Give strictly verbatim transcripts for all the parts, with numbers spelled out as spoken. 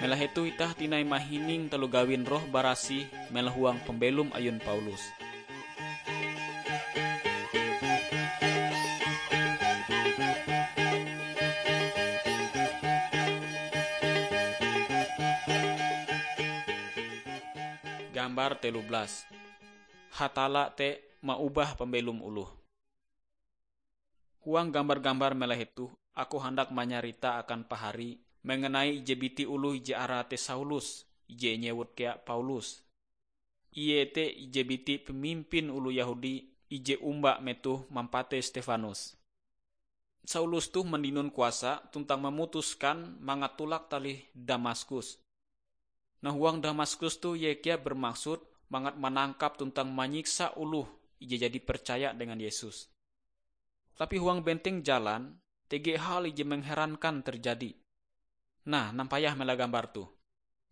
Ela hetoh itah tinai mahining taloh gawin Roh Barasih melahuang pambelom ayun Paulus. Gambar telu belas. Hatalla te maubah pambelom oloh. Huang gambar-gambar mela hetoh, aku handak manyarita akan pahari mengenai ije biti oloh ije arae te Saulus, ije inyewut kea Paulus. Ie te ije biti pamimpin oloh Yehudi ije omba metoh mampatei Stefanus. Saulus toh mandinon kuasa tuntang mamutuskan mangat tulak talih Damaskus. Nah, huang Damaskus toh ie kea bermaksud mangat manangkap tuntang manyiksa oloh ije jadi percaya dengan Yesus. Tapi huang benteng jalan, tege hal ije mengherankan terjadi. Nah, nampayah mela gambar toh.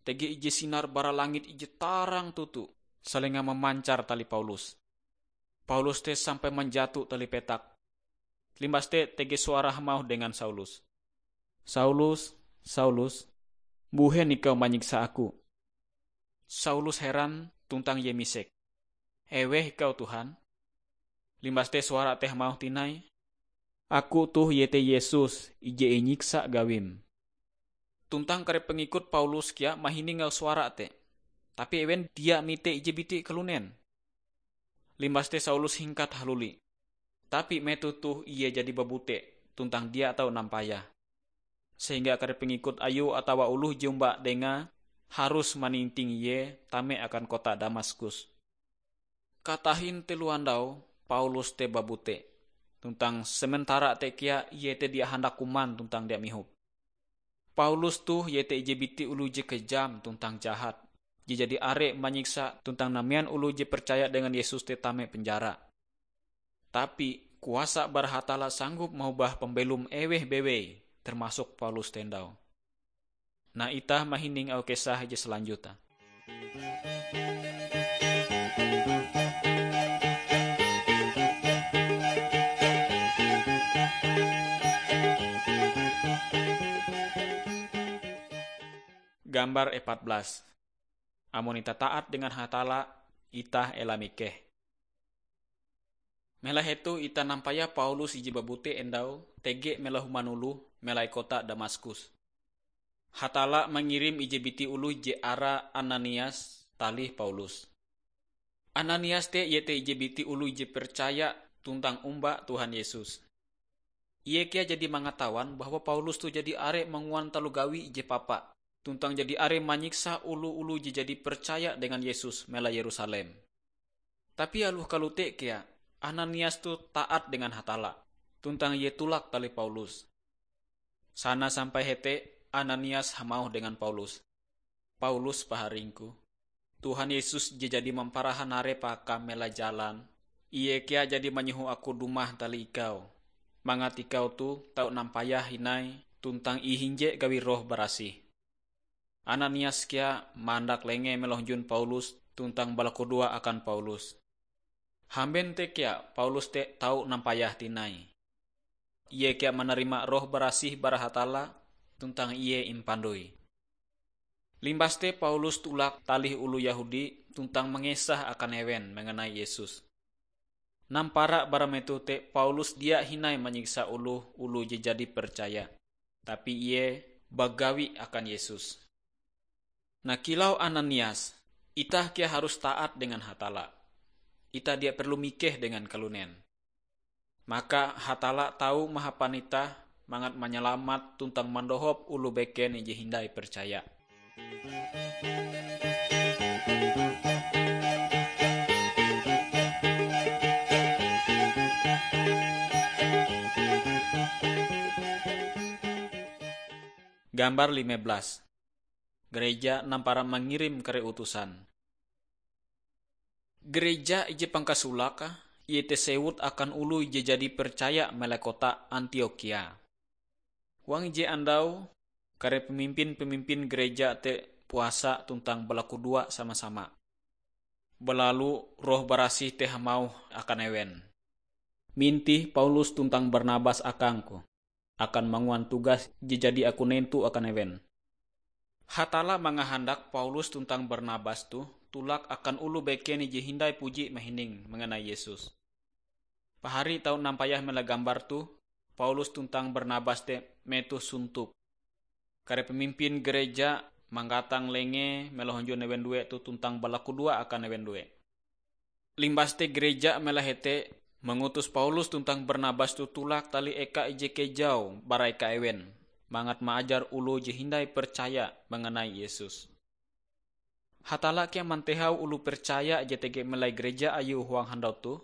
Tege ije sinar bara langit ije tarang toto, salenga mamancar talih Paulus. Paulus te sampai manjato talih petak. Limbas te tege suara hamauh dengan Saulus, "Saulus, Saulus, mbuhen ikau manyiksa aku?" Saulus heran tuntang ie misek, "Eweh ikau, Tuhan?" Limbas te suara te hamauh tinai, "Aku toh iete Yesus ije inyiksa gawim." Tuntang kare pengikut Paulus kea mahining auh suara te, tapi ewen dia mite ije biti kalunen. Limbas te Saulus hingkat haluli. Tapi metoh toh ie jadi babute tuntang dia tau nampayah, sehingga kare pengikut ayue atawa oloh je omba dengae harus maninting ie tame akan kota Damaskus. Katahin telo andau Paulus te babute, tuntang sementara te kea ie te dia handak kuman tuntang dia mihop. Paulus toh iete ije biti oloh je kejam tuntang jahat, je jadi are manyiksa tuntang namean oloh je percaya dengan Yesus te tame penjara. Tapi kuasa bara Hatalla sanggup maubah pambelom eweh bewei, termasuk Paulus te ndau. Nah, itah mahining auh kisah je selanjutnya. Gambar empat belas. Amon itah taat dengan Hatalla, itah ela mikeh. Mela hetoh itah nampayah Paulus ije babute endau tege mela human oloh melai kota Damaskus. Hatalla mangirim ije biti oloh je arae Ananias talih Paulus. Ananias te iete ije biti oloh je percaya tuntang omba Tuhan Yesus. Ie kea jadi mangatawan bahwa Paulus toh jadi are manguan taloh gawi ije papa, tuntang jadi are manyiksa oloh-oloh je jadi percaya dengan Yesus melai Yerusalem. Tapi aloh kalote kea, Ananias toh taat dengan Hatalla, tuntang ie tulak talih Paulus. Sana sampai hete, Ananias hamauh dengan Paulus, "Paulus, paharingku, Tuhan Yesus je jadi mamparahan arepe akam melai jalan, ie kea jadi manyoho aku dumah talih ikau, mangat ikau toh tau nampayah hindai tuntang ihinje gawi Roh Barasih." Ananias kea mandak lengee melonjun Paulus tuntang balakudoa akan Paulus. Hamben te kea Paulus te tau nampayah tinai. Ie kea manarima Roh Barasih bara Hatalla tuntang ie impandoi. Limbas te Paulus tulak talih oloh Yehudi tuntang mangesah akan ewen mengenai Yesus. Nampara bara metoh te Paulus dia hindai manyiksa oloh-oloh je jadi percaya, tapi ie bagawi akan Yesus. Nah, kilau Ananias, itah kea harus taat dengan Hatalla. Itah dia perlu mikeh dengan kalunen. Maka Hatalla tau mahapan itah mangat manyalamat tuntang mandohop oloh beken ije hindai percaya. Gambar lime belas. Gereja nampara mangirim kare utusan. Gereja ije pangkasolake, iete sewut akan oloh ije jadi percaya melai kota Antiokhia. Huang ije andau, kare pemimpin-pemimpin gereja te puasa tuntang balakudoa sama-sama. Balalu Roh Barasih te hamauh akan ewen, "Mintih Paulus tuntang Barnabas akangku akan manguan tugas je jadi aku nentu akan ewen." Hatalla mangahandak Paulus tuntang Barnabas toh tolak akan oloh beken ije hindai puji mahining manganai Yesus. Pahari tau nampayah mela gambar toh, Paulus tuntang Barnabas te metoh suntup. Kare pemimpin gareja manggatang lengee mela hunjun ewen due toh tuntang balakudoa akan ewen due. Limbas te gareja mela hete mangutus Paulus tuntang Barnabas toh tolak talih eka ije kejau bara eka ewen, mangat maajar oloh je hindai percaya manganai Yesus. Hatalla kea mantehau oloh percaya je tege melai gareja Ayue huang handau toh,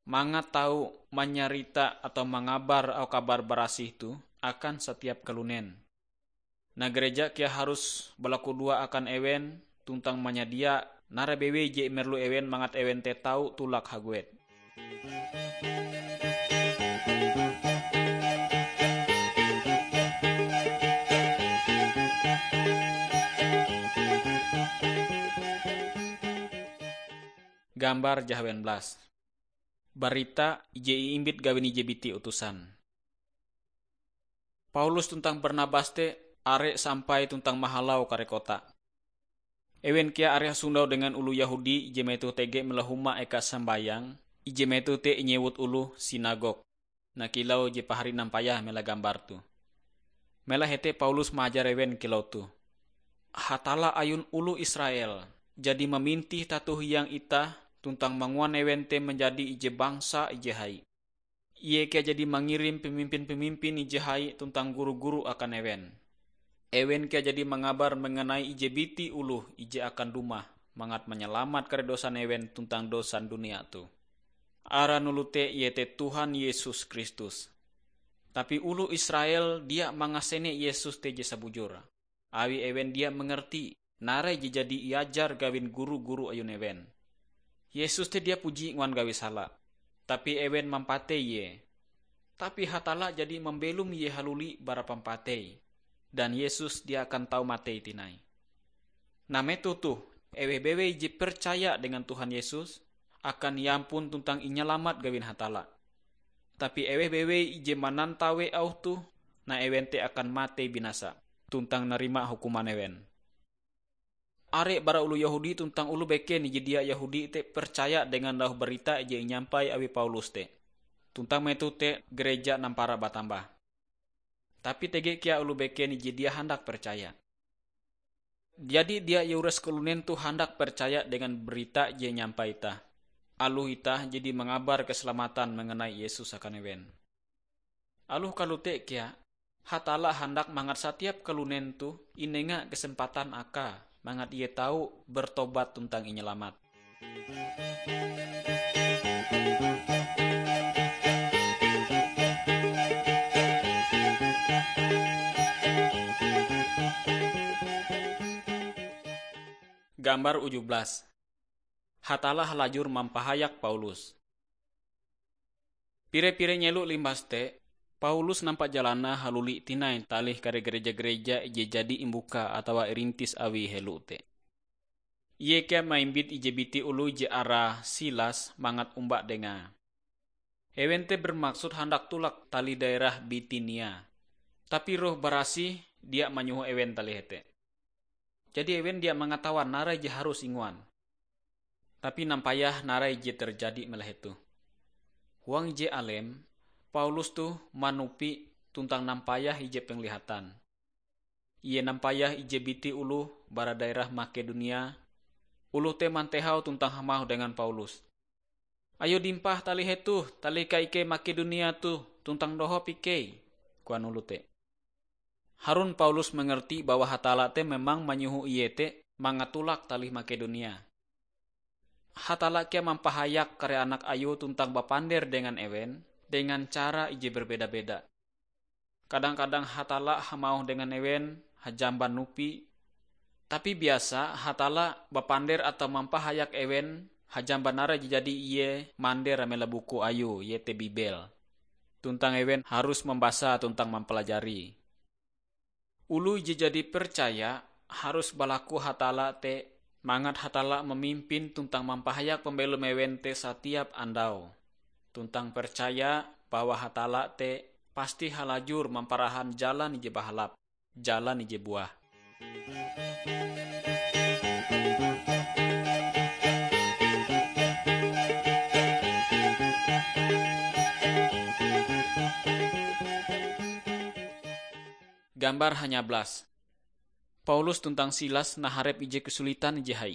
mangat tau manyarita atau mangabar auh kabar barasih toh akan satiap kalunen. Nah, gareja kea harus balakudoa akan ewen tuntang manyadia narai bewei je imerlu ewen mangat ewen te tau tolak haguet. Gambar jahawen belas. Barita ije iimbit gawin ije biti utusan. Paulus tuntang Barnabas te are sampai tuntang mahalau kare kota. Ewen kea are hasondau dengan oloh Yehudi ije metoh tege mela huma eka sambayang, ije metoh te inyewut oloh sinagog. Nah, kilau je pahari nampayah mela gambar toh. Mela hete Paulus maajar ewen kilau toh, "Hatalla ayun oloh Israel jadi mamintih tato hiang itah tuntang manguan ewen te manjadi ije bangsa ije hai. Ie kea jadi mangirim pemimpin-pemimpin ije hai tuntang guru-guru akan ewen. Ewen kea jadi mangabar manganai ije biti oloh ije akan dumah mangat manyalamat kare dosan ewen tuntang dosan dunia toh. Aran oloh te iete Tuhan Yesus Kristus." Tapi oloh Israel dia mangasene Yesus te je sabujur, awi ewen dia mangarti narai je jadi iajar gawin guru-guru ayun ewen. Yesus te dia puji nguan gawi sala, tapi ewen mampatei Ie. Tapi Hatalla jadi mambelom Ie haluli bara pampatei, dan Yesus dia akan tau matei tinai. Nah, metoh toh, eweh bewei je percaya dengan Tuhan Yesus akan iampun tuntang inyalamat gawin Hatalla. Tapi eweh bewei ije manantawe auh toh, nah, ewen te akan matei binasa tuntang narima hukuman ewen. Are bara oloh Yehudi tuntang oloh beken ije dia Yehudi te percaya dengan auh barita je inyampai awi Paulus te. Tuntang metoh te gareja nampara batambah. Tapi tege kea oloh beken ije dia handak percaya. Jadi dia iuras kalunen toh handak percaya dengan barita je inyampai itah, aloh itah jadi mangabar keselamatan manganai Yesus akan ewen. Aloh kalote kea, Hatalla handak mangat satiap kalunen toh inenga kesempatan akae mangat ie tau bertobat tuntang inyalamat. Gambar uju belas. Hatalla halajur mampahayak Paulus. Pire-pire nyelo limbas te, Paulus nampa jalanae haluli tinai talih kare gareja-gareja je jadi imbuka atawa irintis awie helo te. Ie kea maimbit ije biti oloh je arae Silas mangat omba dengae. Ewen te bermaksud handak tolak talih daerah Bitinia. Tapi Roh Barasih dia manyoho ewen talih hete. Jadi ewen dia mangatawan narai je harus inguan. Tapi nampayah narai je terjadi mela hetoh. Huang ije alem, Paulus toh manupi tuntang nampayah ije penglihatan. Ie nampayah ije biti oloh bara daerah Makedonia. Oloh te mantehau tuntang hamauh dengan Paulus, "Ayo dimpah talih hetoh, talika ikei Makedonia toh tuntang dohop ikei," koan oloh te. Harun Paulus mangarti bahwa Hatalla te memang manyoho ie te mangat tolak talih Makedonia. Hatalla kea mampahayak kare anak Ayue tuntang bapander dengan ewen dengan cara ije berbeda-beda. Kadang-kadang Hatalla hamauh dengan ewen hajamban nupi, tapi biasa Hatalla bapander atau mampahayak ewen hajamban narai je jadi Ie mander amela buku Ayue, iete Bibel. Tuntang ewen harus mambasa tuntang mampalajari. Oloh je jadi percaya harus balaku Hatalla te, mangat Hatalla mamimpin tuntang mampahayak pambelom ewen te satiap andau. Tuntang percaya bahwa Hatalla te pasti halajur mamparahan jalan ije bahalap, jalan ije buah. Gambar hanyablas. Paulus tuntang Silas naharep ije kesulitan ije hai.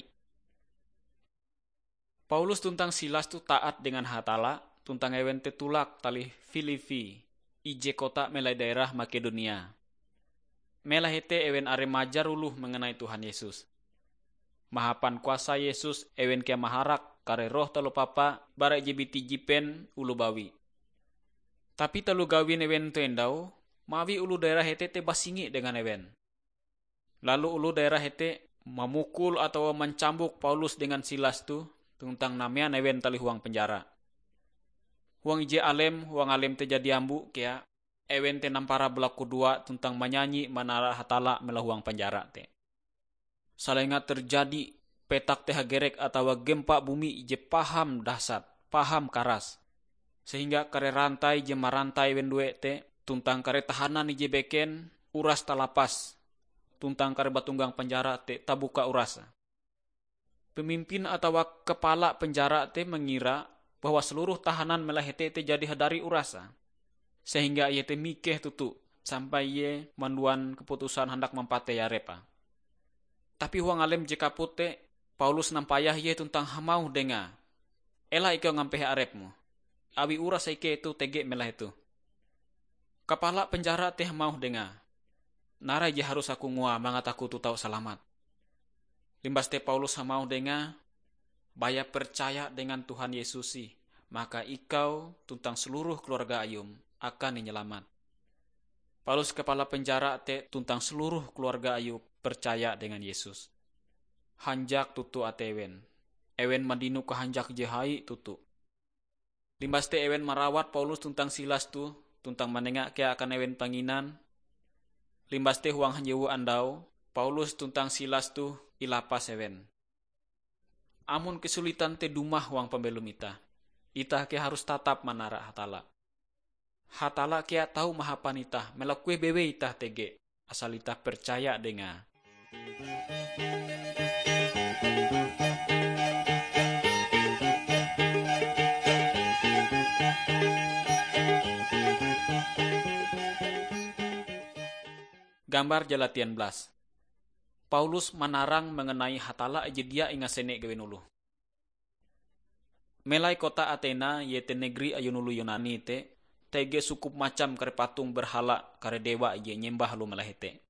Paulus tuntang Silas toh taat dengan Hatalla, tuntang ewen te tulak talih Filipi, ije kota melai daerah Makedonia. Melai hete ewen are majar oloh mengenai Tuhan Yesus. Mahapan kuasa Yesus, ewen kea maharak kare roh taloh papa bara ije biti jipen oloh bawi. Tapi taloh gawin ewen toh endau, mawi oloh daerah hete te basingi dengan ewen. Lalu oloh daerah hete mamukul atawa mancambuk Paulus dengan Silas toh tuntang namean ewen talih huang penjara. Huang ije alem, huang alem te jadi ambo kea, ewen te nampara balakudoa tuntang manyanyi manara Hatalla melawa huang penjara te. Salenga terjadi petak te hagerek atawa gempa bumi je paham dahsat, paham karas, sehingga kare rantai je marantai ewen due te tuntang kare tahanan ije beken uras talapas, tuntang kare batunggang penjara te tabuka uras. Pemimpin atawa kepala penjara te mangira bahwa seluruh tahanan melai hete te jadi hadari uras, sehingga ie te mikeh toto sampai ie manduan keputusan handak mampatei arepe. Tapi huang alem je kaput te, Paulus nampayah ie tuntang hamauh dengae, "Ela ikau ngampehe arepmu, awi uras ikei toh tege melai hetoh." Kapala penjara te hamauh dengae, "Narai je harus aku ngoa mangat aku toh tau salamat." Limbas te Paulus hamauh dengae, "Baya percaya dengan Tuhan Yesus ih, maka ikau tuntang seluruh keluarga ayum akan inyalamat." Palus kapala penjara te tuntang seluruh keluarga ayue percaya dengan Yesus. Hanjak toto atei ewen. Ewen mandino kahanjak je hai toto. Limbas te ewen marawat Paulus tuntang Silas toh, tuntang manenga kea akan ewen panginan. Limbas te huang hanjewu andau, Paulus tuntang Silas toh ilapas ewen. Amon kesulitan te dumah huang pambelom itah, itah kea harus tatap manara Hatalla. Hatalla kea tau mahapan itah, melakueh bewei itah tege, asal itah percaya Dengae. Gambar jalatian blas. Paulus manarang mengenai Hatalla ije dia ingasene gawin oloh. Melai kota Atena, iete negeri ayun oloh Yunani te, tege sukup macam kare patung berhala kare dewa ije nyembah oloh melai hete.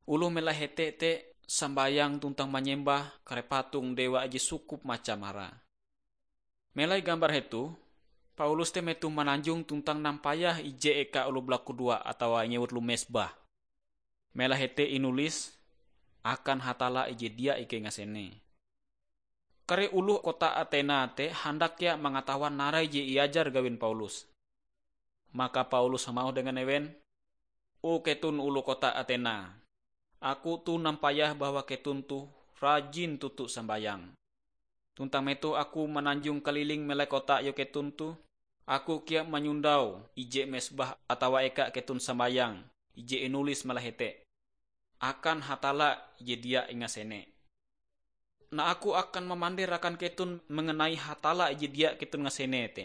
Oloh melai hete te sambayang tuntang manyembah kare patung dewa ije sukup macam hara. Melai gambar hetoh, Paulus te metoh mananjong tuntang nampayah ije eka oloh balakudoa atawa inyewut loh mesbah. Melai hete inulis, "Akan Hatalla ije dia ikei ngasene." Kare oloh kota Atena te handak kea mangatawan narai je iajar gawin Paulus. Maka Paulus hamauh dengan ewen, "O keton oloh kota Atena, aku toh nampayah bahwa keton toh rajin toto sambayang. Tuntang metoh aku mananjong kaliling melai kota ayue keton toh, aku kea manyondau ije mesbah atawa eka keton sambayang, ije inulis melai hete, 'Akan Hatalla ije dia ingasene.' Nah, aku akan mamander akan keton mengenai Hatalla ije dia keton ngasene te.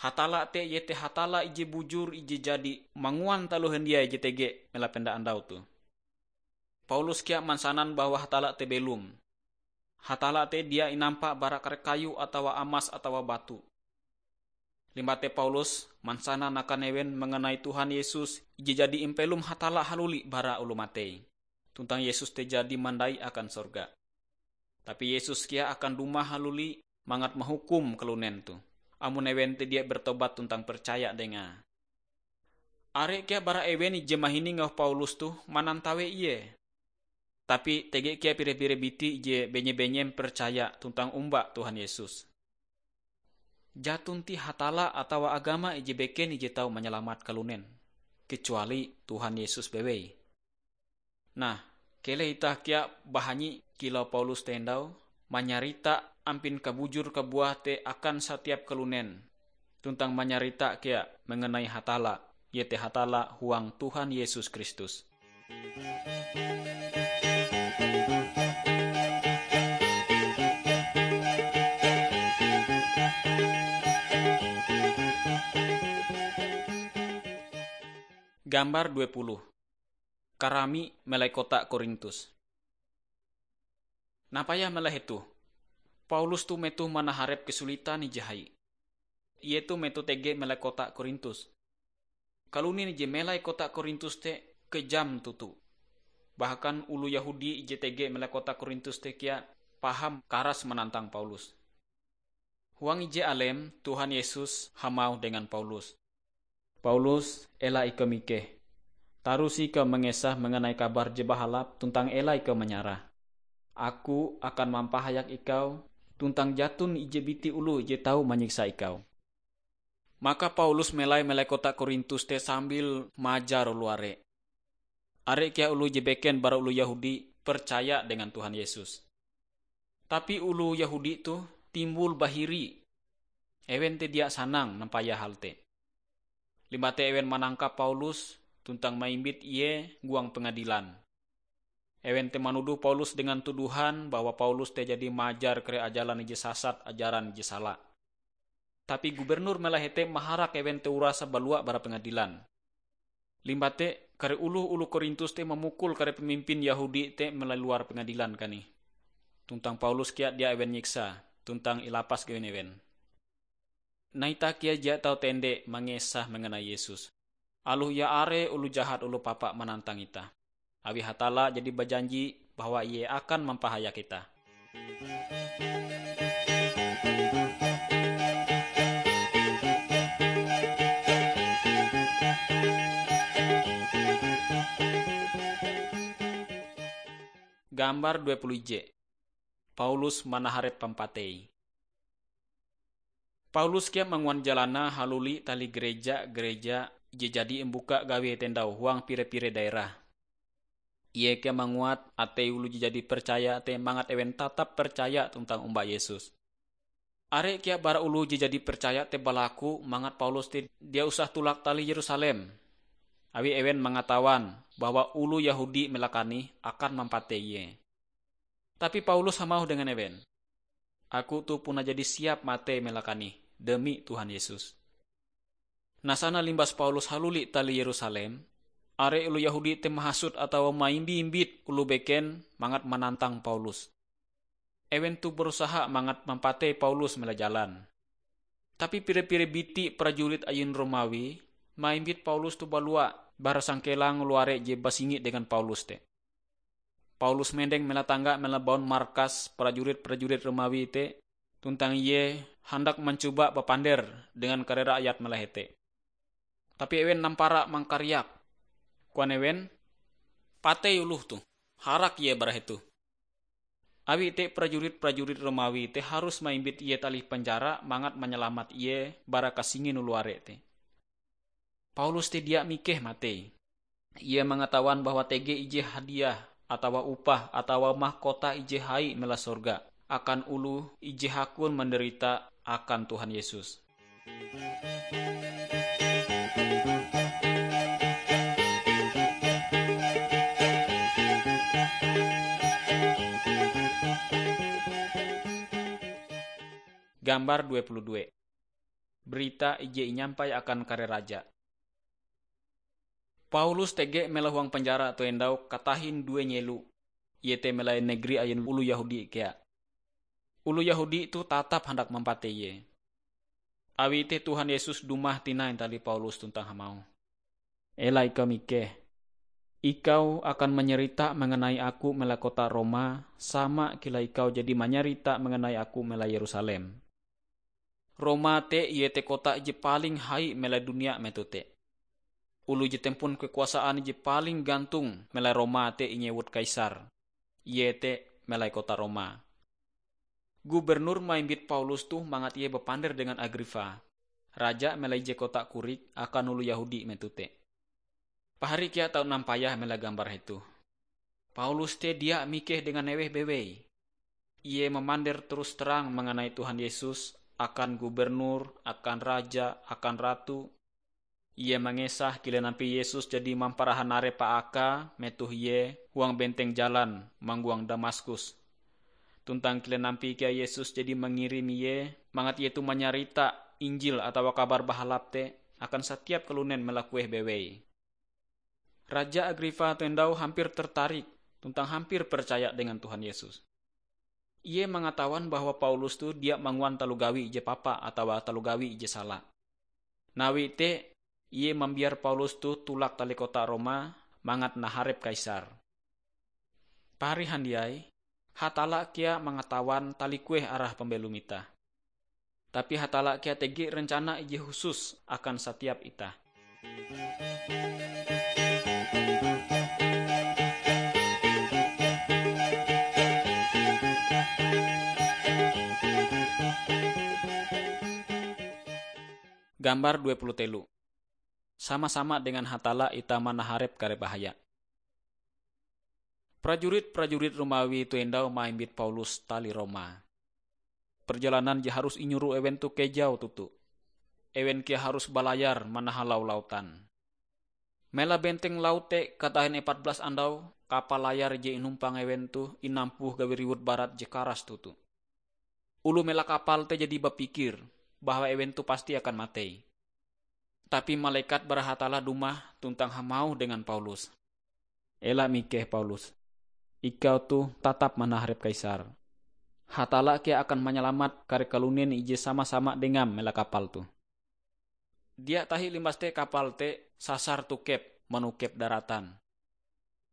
Hatalla te iete Hatalla ije bujur ije jadi manguan taloh handiai je tege melai penda andau toh." Paulus kea mansanan bahwa Hatalla te belom. Hatalla te dia inampa bara kare kayu atawa amas atawa batu. Limbah te Paulus mansanan akan ewen mengenai Tuhan Yesus ije jadi impelom Hatalla haluli bara oloh matei. Tuntang Yesus te jadi mandai akan sorga. Tapi Yesus kea akan dumah haluli mangat mahukum kalunen toh, amon ewen te dia bertobat tuntang percaya Dengae. Are kea bara ewen ije mahining auh Paulus toh manantawe ie. Tapi tege kea pire-pire biti ije benye-benyem percaya tuntang omba Tuhan Yesus. Jaton ti Hatalla atawa agama ije beken ije tau manyalamat kalunen, kecuali Tuhan Yesus bewei. Nah, keleh itah kea bahanyi kilau Paulus te endau, manyarita ampin kabujur kabuah te akan satiap kalunen, tuntang manyarita kea mengenai Hatalla, iete Hatalla huang Tuhan Yesus Kristus. Gambar dua puluh. Karami melai kota Korintus. Nampayah melai hetoh, Paulus toh metoh manaharep kesulitan ije hai. Ie toh metoh tege melai kota Korintus. Kalunen ije melai kota Korintus te kejam toto. Bahkan oloh Yehudi ije tege melai kota Korintus te kea paham karas manantang Paulus. Huang ije alem, Tuhan Yesus hamauh dengan Paulus, "Paulus, ela ikau mikeh. Tarusi ikau mangesah manganai kabar je bahalap tuntang ela ikau manyarah. Aku akan mampahayak ikau, tuntang jaton ije biti oloh je tau manyiksa ikau." Maka Paulus melai melai kota Korintus te sambil majar oloh are. Are kea oloh je beken bara oloh Yehudi percaya dengan Tuhan Yesus. Tapi oloh Yehudi toh timbul bahiri. Ewen te dia sanang nampayah hal te. Limbah te ewen manangkap Paulus tuntang maimbit ie huang pengadilan. Ewen te manuduh Paulus dengan tuduhan bahwa Paulus te jadi maajar kare ajalan ije sasat ajaran ije sala. Tapi gubernur melai hete maharak ewen te urase balua bara pengadilan. Limbah te, kare oloh-oloh Korintus te mamukul kare pemimpin Yehudi te melai luar pengadilan kanih. Tuntang Paulus kea dia ewen nyiksa, tuntang ilapas gawin ewen. Nah, itah kea dia tau tende mangesah manganai Yesus. Aloh ie are oloh jahat oloh papa manantang itah. Awi Hatalla jadi bajanji bahwa Ie akan mampahayak itah. Gambar dua puluh ije. Paulus manaharep pampatei. Paulus kea manguan jalanae haluli tali gereja-gereja je jadi imbuka gawie tendau huang pire-pire daerah. Ie kea manguat atei oloh je jadi percaya te mangat ewen tatap percaya tuntang omba Yesus. Are kea bara oloh je jadi percaya te balaku mangat Paulus te dia usah tulak tali Yerusalem, awi ewen mangatawan bahwa oloh Yehudi melakani akan mampatei ie. Tapi Paulus hamauh dengan ewen, "Aku toh puna jadi siap matei melakani demi Tuhan Yesus." Nah, sana limbas Paulus haluli tali Yerusalem, are oloh Yehudi te mahasut atawa maimbi-imbit oloh beken mangat manantang Paulus. Ewen toh berusaha mangat mampatei Paulus mela jalan. Tapi pire-pire biti prajurit ayun Romawi maimbit Paulus toh balua bara sangkelang luare je basingi dengan Paulus te. Paulus mendeng mela tangga mela baun markas prajurit-prajurit Romawi te, tuntang ie handak mancoba bapander dengan kare rakyat mela hete. Tapi ewen nampara mangkariak. Koan ewen, "Patei oloh toh! Harak ie bara hetoh!" Awi te prajurit-prajurit Romawi te harus maimbit ie talih penjara mangat manyalamat ie bara kasingin oloh are te. Paulus te dia mikeh matei. Ie mangatawan bahwa tege ije hadiah atawa upah atawa mahkota ije hai mela sorga akan oloh ije hakun manderita akan Tuhan Yesus. Gambar dua puluh dua. Berita ije inyampai akan kare raja. Paulus tege mela huang penjara toh endau katahin due nyelo, iete melai negeri ayun oloh Yehudi kea. Oloh Yehudi toh tatap handak mampatei ie. Awi te Tuhan Yesus dumah tinai talih Paulus tuntang hamauh, "Ela ikau mikeh. Ikau akan manyarita manganai Aku mela kota Roma, sama kilau ikau jadi manyarita manganai Aku mela Yerusalem." Roma te iete kota je paling hai mela dunia metoh te. Oloh je tempon kekuasaan je paling gantung mela Roma te inyewut Kaisar, iete melai kota Roma. Gubernur maimbit Paulus toh mangat ie bapander dengan Agripa, raja melai ije kota korik akan oloh Yehudi metoh te. Pahari kea tau nampayah mela gambar hetoh. Paulus te dia mikeh dengan eweh bewei. Ie mamander terus terang manganai Tuhan Yesus akan gubernur, akan raja, akan ratu. Ie mangesah kilen ampie Yesus jadi mamparahan are paakae metoh Ie huang benteng jalan manggoang Damaskus. Tuntang kilen ampie kea Yesus jadi mangirim Ie mangat Ie toh manyarita Injil atawa Kabar Bahalap te akan satiap kalunen melakueh bewei. Raja Agripa toh endau hampir tertarik tuntang hampir percaya dengan Tuhan Yesus. Ie mangatawan bahwa Paulus toh dia manguan taloh gawi ije papa atawa taloh gawi ije sala. Nawi te, ie mambiar Paulus toh tulak talih kota Roma mangat naharep Kaisar. Pahari handiai, Hatalla kea mangatawan talikueh arah pambelom itah. Tapi Hatalla kea tege rencana ije husus akan satiap itah. Gambar dua puluh telu. Sama-sama dengan Hatalla itah manaharep kare bahaya. Prajurit-prajurit Romawi toh endau maimbit Paulus talih Roma. Perjalanan je harus inyoro ewen toh kejau toto. Ewen kea harus balayar manahalau lautan. Mela benteng laut te katahin epat belas andau, kapal layar je inumpang ewen toh inampuh gawi riwut barat je karas toto. Oloh mela kapal te jadi bapikir bahwa ewen toh pasti akan matei. Tapi malekat bara Hatalla dumah tuntang hamauh dengan Paulus, "Ela mikeh, Paulus. Ikau toh tatap manaharep Kaisar. Hatalla kea akan manyalamat kare kalunen ije sama-sama dengam mela kapal toh." Dia tahi limbas te kapal te sasar tokep manokep daratan.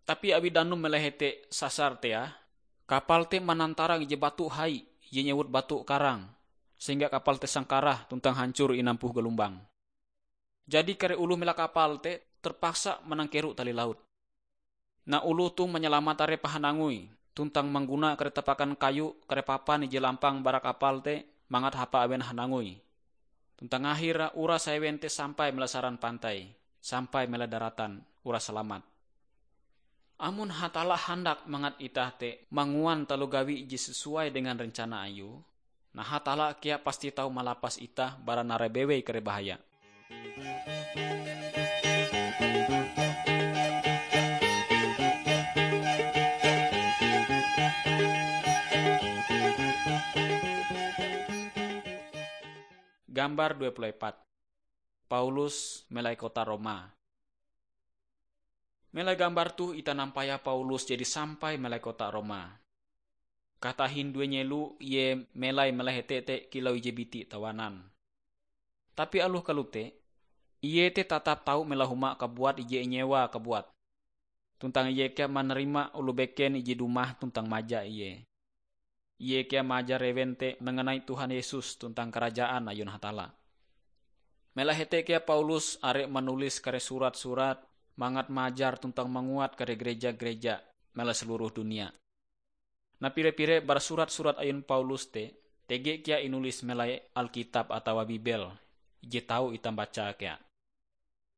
Tapi awi danum mela hete sasar te ah, kapal te manantarang ije batu hai je nyewut batu karang, sehingga kapal te sangkarah tuntang hancor inampuh galumbang. Jadi kare oloh mela kapal te terpaksa manangkero talih laut. Nah, oloh toh manyalamat are pahanangui, tuntang mangguna kare tapakan kayu, kare papan ije lampang bara kapal te mangat hapa ewen hanangui. Tuntang akhire uras ewen te sampai mela saran pantai, sampai mela daratan, uras salamat. Amon Hatalla handak mangat itah te manguan taloh gawi je sesuai dengan rencana Ayue, nah, Hatalla kea pasti tau malapas itah bara narai bewei kare bahaya. Gambar dua puluh empat. Paulus melai kota Roma. Melai gambar toh itah nampayah Paulus jadi sampai melai kota Roma. Katahin due nyelo ie melai melai hete te kilau ije biti tawanan. Tapi aloh kalote, ie te tatap tau melai huma kabuat ije inyewa kabuat. Tuntang ie kea manarima oloh beken ije dumah tuntang maja ie. Ie kea maajar ewen te manganai Tuhan Yesus tuntang Karajaan ayun Hatalla. Melai hete kea Paulus are manulis kare surat-surat mangat maajar tuntang manguat kare gareja-gareja melai seluruh dunia. Nah, pire-pire bara surat-surat ayun Paulus te tege kea inulis melai Alkitab atawa Bibel je tau itah baca kea.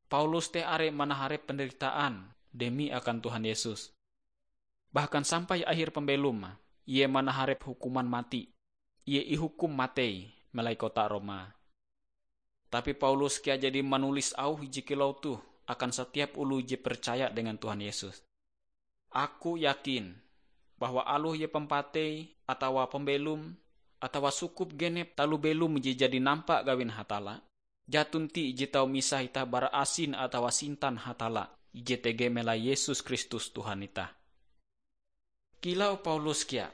Paulus te are manaharep penderitaan demi akan Tuhan Yesus. Bahkan sampai akhir pambelom, ie manaharep hukuman mati. Ie ihukum matei melai kota Roma. Tapi Paulus kea jadi manulis auh ije kilau toh akan satiap oloh je percaya dengan Tuhan Yesus. Aku yakin bahwa aloh ie pampatei atawa pambelom atawa sukup genep taloh belom je jadi nampa gawin Hatalla, jaton ti ije tau misah itah bara asin atawa sintan Hatalla ije tege melai Yesus Kristus Tuhan itah. Kilau Paulus kea,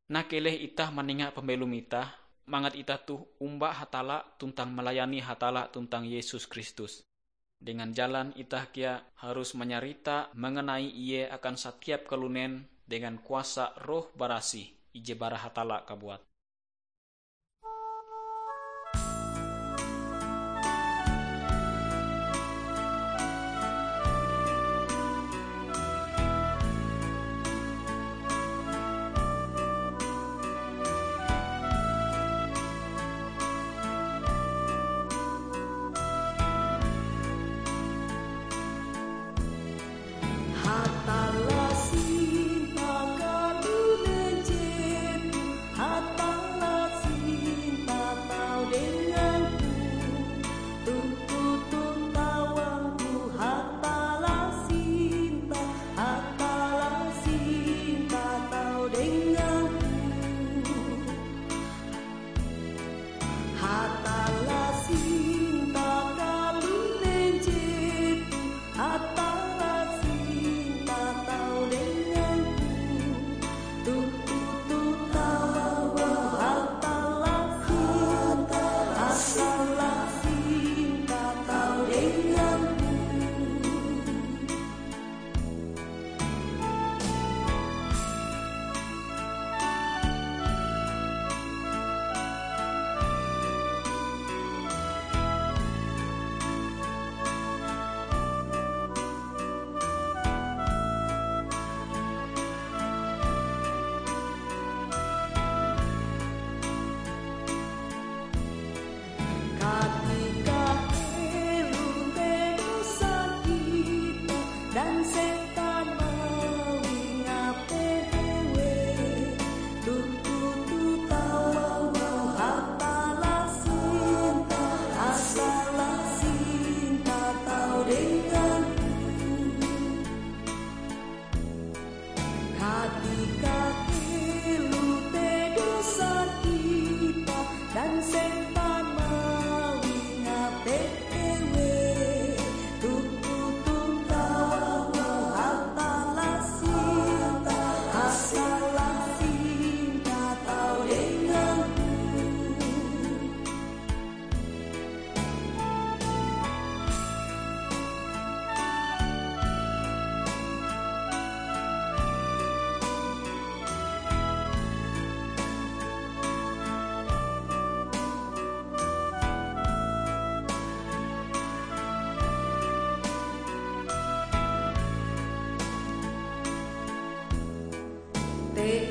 nah keleh itah manenga pambelom itah, mangat itah toh omba Hatalla tuntang malayani Hatalla tuntang Yesus Kristus. Dengan jalan itah kea harus manyarita manganai Ie akan satiap kalunen dengan kuasa Roh Barasih ije bara Hatalla kabuat. Sempan mawi ngapet ewe, tuntang tau hatalasih, hatalasih tau denganku. Te